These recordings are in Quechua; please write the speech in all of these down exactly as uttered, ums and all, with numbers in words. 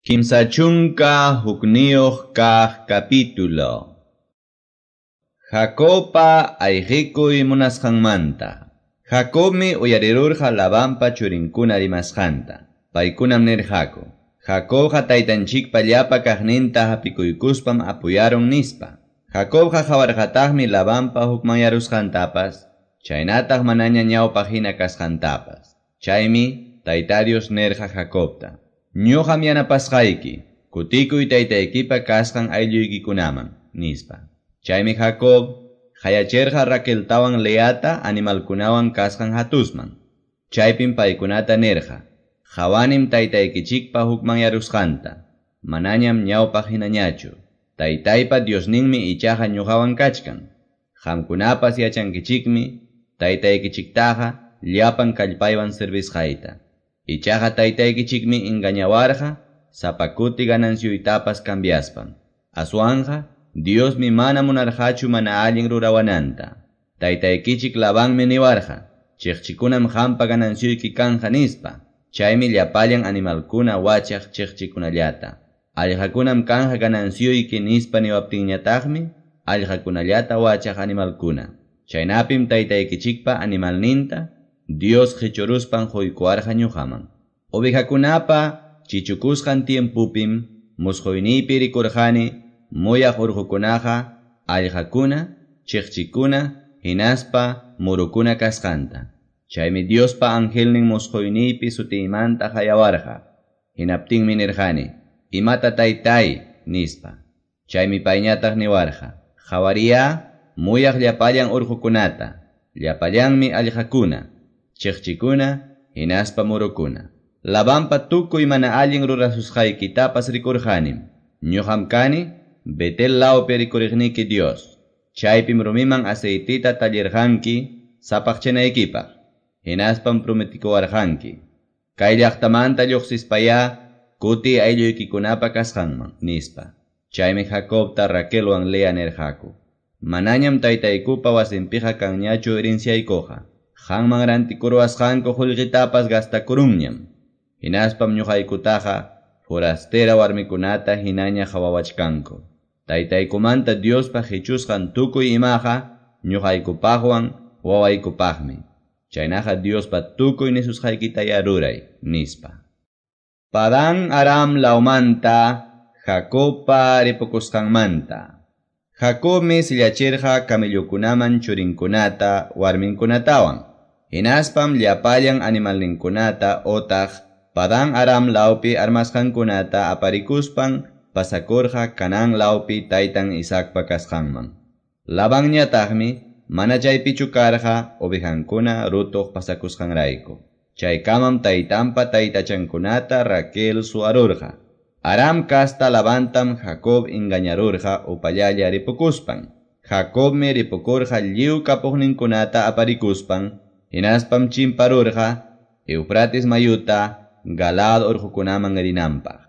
Kimsa chunka hukniyuq kaq capítulo. Jacobpa ayqikuy munasqanmanta. Jacobmi uyarirurqa Labanpa churinkuna rimasqanta. Paykunam nirqaku: Jacobqa taytanchikpa llapa kaqninta hapikuykuspam apuyarun nispa. Jacobqa qawarqataqmi Labanpa hukmanyarusqantapas, chaynataq manaña ñawpaq hina kasqantapas. Chaymi Tayta Dios nirqa Jacobta: Ñuqam yanapasqayki, kutikuy taytaykipa kasqan aylluykikunaman, nispa. Chaymi Jacob qayachirqa Raqueltawan Leata animalkunawan kasqan hatusman. Chaypim paykunata nirqa: Qawanim taytaykichikpa hukmanyarusqanta, manañam ñawpaq hinañachu. Taytaypa Diosninmi ichaqa ñuqawan kachkan. Qamkunapas yachankichikmi taytaykichiktaqa llapan kallpaywan servisqayta. Ichaqa taytaykichikmi engañawarqa sapa kuti ganancioytapas cambiaspan. Aswanqa Diosmi mana munarqachu mana allin rurawananta. Taytaykichik Labanmi niwarqa: Chiqchikunam qampa ganancioyki kanja nispa. Chaymi llapallan animalkuna wachaq chiqchikunallata. Allqakunam kanja ganancioyki nispa niwaptinñataqmi allqakunallata wachaq animalkuna. Chaynapim taytaykichikpa animalninta Dios qichuruspan quykuwarqa ñuqaman. Ovejakunapa chichukusqan tiempupim musquyniypi rikurqani muyaq urqukunaqa allqakuna, chiqchikuna, hinaspa murukuna kasqanta. Chaymi Diospa angelnin musquyniypi sutiymanta qayawarqa. Hinaptinmi nirqani: Imata taytay, nispa. Chaymi payñataq niwarqa: Qhawariya muyaq llapallan urqukunata, llapallanmi allqakuna, chiqchikuna, hinaspa murukuna. Labanpa tukuy mana allin rurasusqaykitapas rikurqanim. Ñuqam kani Betel lawpi rikuriqniki Dios. Chaypim rumiman aceitita tallirqanki sapaqchanaykipaq. Hinaspam prometikuwarqanki: Kay llaqtamanta lluqsispayá kuti aylluykikunapa kasqanman, nispa. Chaymi Jacobta Raquelwan Lea nirqaku: Manañam taytaykupa wasinpiqa kanñachu herenciaykuqa. Qanman rantikuruwasqanku qullqitapas gastakurunñam. Hinaspam ñuqaykutaqa forastera warmikunata hinaña qhawawachkanku. Taytaykumanta Diospa qichusqan tukuy imaqa ñuqaykupaqwan wawaykupaqmi. Chaynaqa Diospa tukuy nisusqaykitaya ruray, nispa. Padán Aram lawmanta Jacobpa ripukusqanmanta. Jacobmi sillachirqa camellokunaman churinkunata warminkunatawan. Hinaspam llapallan animalninkunata otaq Padán Aram lawpi armasqankunata aparikuspan pasakurqa Canaán lawpi taytan Isaacpa kasqanman. Labanñataqmi mana chaypichu karqa ovejankuna rutuq pasakusqanrayku. Chaykamam taytanpa taytachankunata Raquel suwarurqa. Aram kasta Labantam Jacob engañarurqa upallalla ripukuspan. Jacobmi ripukurqa lliw kapuqninkunata aparikuspan, hinaspam chimparurqa Eufrates mayuta Galaad urqukunaman rinanpaq.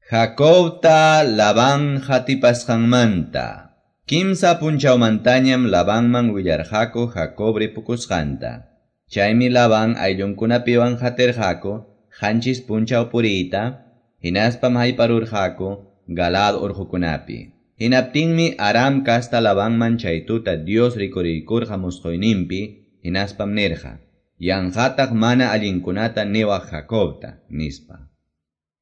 Jacobta Labán hatipasqanmanta. Kimsa punchawmantañam Labanman willarqaku Jacob ripukusqanta. Chaymi Labán ayllunkunapiwan hatirqaku qanchis punchaw puriyta, hinaspam hayparurqaku Galaad urqukunapi. Hinaptinmi Aram kasta Labanman chay tuta Dios rikuriykurqa musquyninpi, hinaspam nirqa: Yanqataq mana allinkunata niwaq Jacobta, nispa.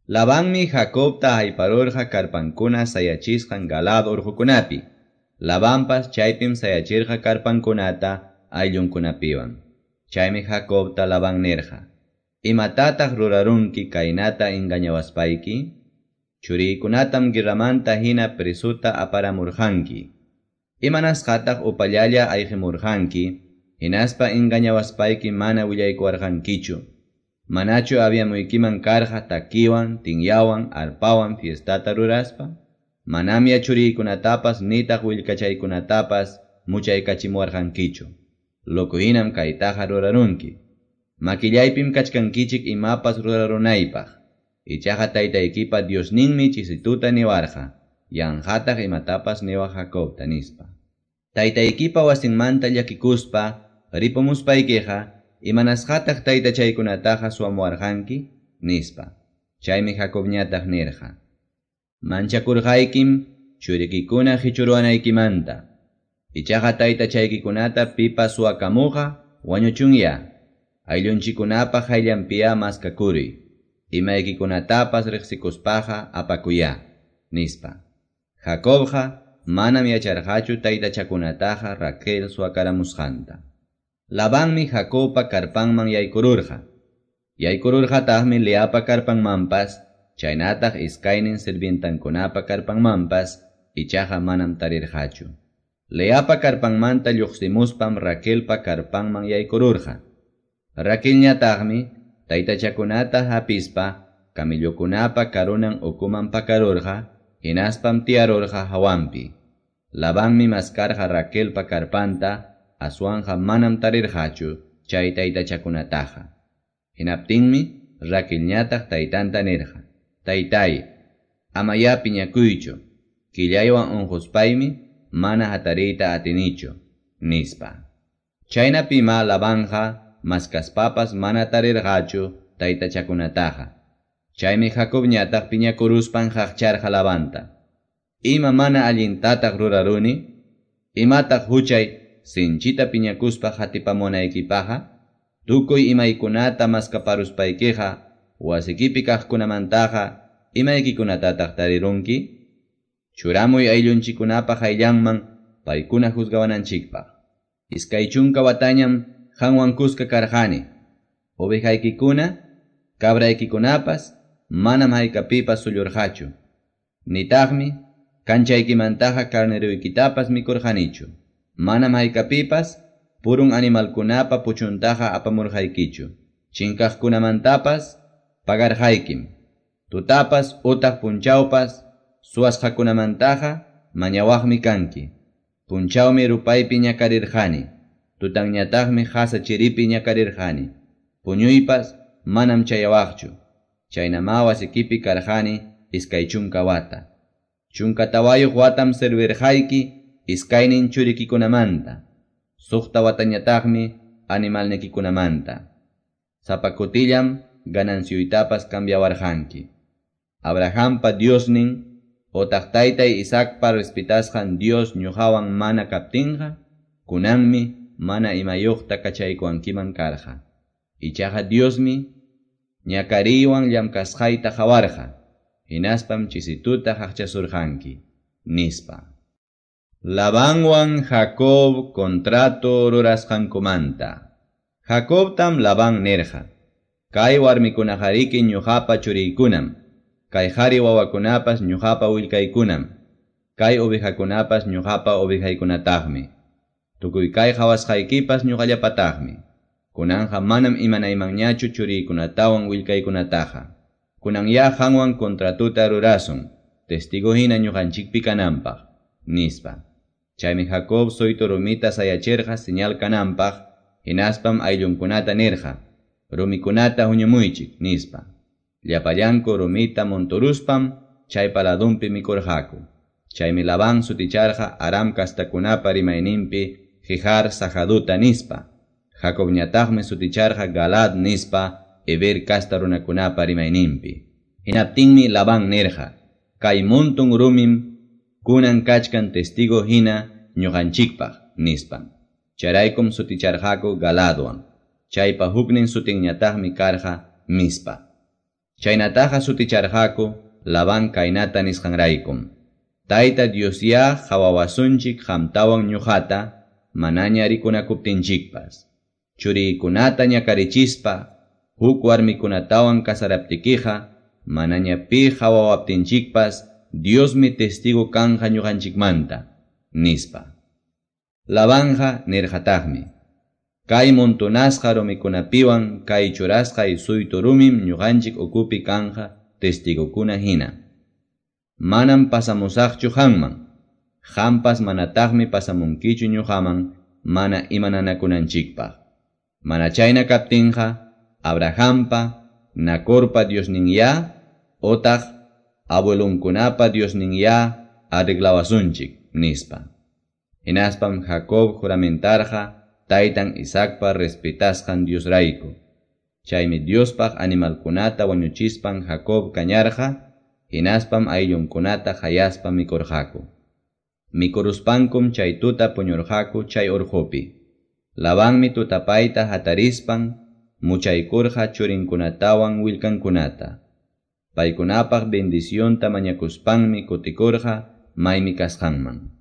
Labanmi Jacobta hayparurqa karpankuna sayachisqan Galaad urqukunapi. Labanpas chaypim sayachirqa karpankunata ayllunkunapiwan. Chaymi Jacobta Labán nirqa: Imatataq rurarunki kaynata engañawaspayki? Churiykunatam guerramanta hina presuta aparamurqanki. Imanasqataq upallalla ayqimurqanki, hinaspa engañawaspayki mana willaykuwarqankichu? Manachu aviamuykiman karqa takiwan, tinyawan, arpawan fiestata ruraspa? Manamya churiykunatapas nitaq willkachaykunatapas muchaykachimuwarqankichu. Loco hinam kaytaqa rurarunki. Makillaypim kachkankichik imapas rurarunaypaq. Ichaqa taytaykipa Diosninmi chisituta niwarqa: Yanqataq imatapas niwaq Jacobta, nispa. Taytaykipa wasinmanta llakikuspa ripumuspaykiqa, imanasqataq taytachaykunataqa suwamuwarqanki, nispa. Chaymi Jacobñataq nirqa: Manchakurqaykim churikikuna qichuruwanaykimanta. Ichaqa taytachaykikunata pipas suwakamuqqa wañuchunya. Ayllunchikkunapa qayllanpiya maskakuruy. Imaykikunatapas riqsikuspaqa apakuya, nispa. Jacobqa manam yacharqachu taytachakunataqa Raquel suwakaramusqanta. Labanmi Jacobpa karpanman yaykururqa. Yaykururqataqmi Leapa karpanmanpas, chaynataq iskaynin sirvientankunapa karpanmanpas, ichaqa manam tarirqachu. Leapa karpanmanta lluqsimuspam Raquelpa karpanman yaykururqa. Raquelñataqmi taytachakunata hapispa camellokunapa karunan ukuman pakarurqa, hinaspam tiyarurqa hawanpi. Labanmi maskarqa Raquelpa karpanta, aswanqa manam tarirqachu chay taytachakunataqa. Hinaptinmi Raquelñataq taytanta nirqa: Taytay, amaya piñakuychu, killaywan unquspaymi mana hatariyta atinichu, nispa. Chaynapima Labanqa maskaspapas mana tarirqachu taytachakunataqa. Chaymi Jacobñataq piñakuruspan qaqcharqa Labanta: Ima mana allintataq ruraruni? Imataq huchay sinchita piñakuspa hatipamunaykipaqa? Tukuy imaykunata maskaparuspaykiqa wasikipi kaqkunamantaqa imaykikunatataq tarirunki? Churamuy ayllunchikkunapa qayllanman paykuna juzgawananchikpaq. Iskay chunka watañam qanwan kuska karqani. Ovejaykikuna, cabraykikunapas manam haykapipas sullurqachu. Nitaqmi kanchaykimantaqa carneroykitapas mikurqanichu. Manam haykapipas purun animalkunapa puchuntaqa apamurqaykichu. Chinkaqkunamantapas pagarqaykim. Tutapas utaq punchawpas suwasqakunamantaqa mañawaqmi kanki. Punchawmi rupaypi ñakarirqani. Tutanñataqmi qasa chiripi ñakarirqani. Puñuypas manam chayawaqchu. Chaynama wasikipi karqani iskay chunka wata. Chunka tawayuq watam servirqayki iskaynin churikikunamanta. Suqta watañataqmi animalnikikunamanta. Sapa kutillam ganancioytapas cambiawarqanki. Abrahampa Diosnin otaq taytay Isaacpa respetasqan Dios ñuqawan mana kaptinqa, kunanmi mana imayuqta kachaykuwankiman karqa. Ichaqa Diosmi ñakariywan llamkasqayta qawarqa, hinaspam chisituta qaqchasurqanki, nispa. Labanwan Jacob contrato rurasqankumanta. Jacobtam Labán nirqa: Kay warmikunaqariki ñuqapa churiykunam, kay qhari wawakunapas ñuqapa willkaykunam, kay ovejakunapas ñuqapa ovejaykunataqmi. Tukuy kay qhawasqaykipas ñuqallapataqmi. Kunanqa manam imanaymanñachu churiykunatawan willkaykunataqa. Kunanya qanwan contratuta rurasun, testigo hina ñuqanchikpi kananpaq, nispa. Chaymi Jacob suytu rumita sayachirqa señal kananpaq, hinaspam ayllunkunata nirqa: Rumikunata huñumuychik, nispa. Llapallanku rumita monturuspam chaypa ladunpi mikurqaku. Chaymi Labán suticharqa Aram kastakunapa rimayninpi Jijar Sahaduta nispa. Jacobñataqmi suticharqa Galad nispa Eber kasta runakunapa rimayninpi. Hinaptinmi Labán nirqa: Kay muntun rumim kunan kachkan testigo hina ñuqanchikpaq, nispa. Chayraykum suticharqaku Galadwan. Chaypa huknin sutinñataqmi karqa Mispa. Chaynataqa suticharqaku Labán kaynata nisqanraykum: Tayta Diosyá qawawasunchik qamtawan ñuqata manaña rikunakuptinchikpas. Churiykunata ñakarichispa huk warmikunatawan kasaraptikiqa manaña pi qawawaptinchikpas Diosmi testigo kanja ñuqanchikmanta, nispa. Labanja nirqataqmi: Kay montonasqa rumikunapiwan kay churasqay suytu rumim ñuqanchik ukupi kanja testigokuna hina. Manam pasamusaqchu qanman, qampas manataqmi pasamunkichu ñuqaman mana imananakunanchikpaq. Mana chayna kaptinqa Abrahampa, Nacorpa Diosninyá, otaq abuelunkunapa Diosninyá arreglawasunchik, nispa. Hinaspam Jacob juramentarqa taytan Isaacpa respetasqan Diosrayku. Chaymi Diospaq animalkunata wañuchispan Jacob kañarqa, hinaspam ayllunkunata qayaspa mikurqaku. Mikuruspankum chay tuta puñurqaku chay urqupi. Labanmi tutapayta hatarispan muchaykurqa churinkunatawan willkankunata. Paykunapaq bendicionta mañakuspanmi kutikurqa maymi kasqanman.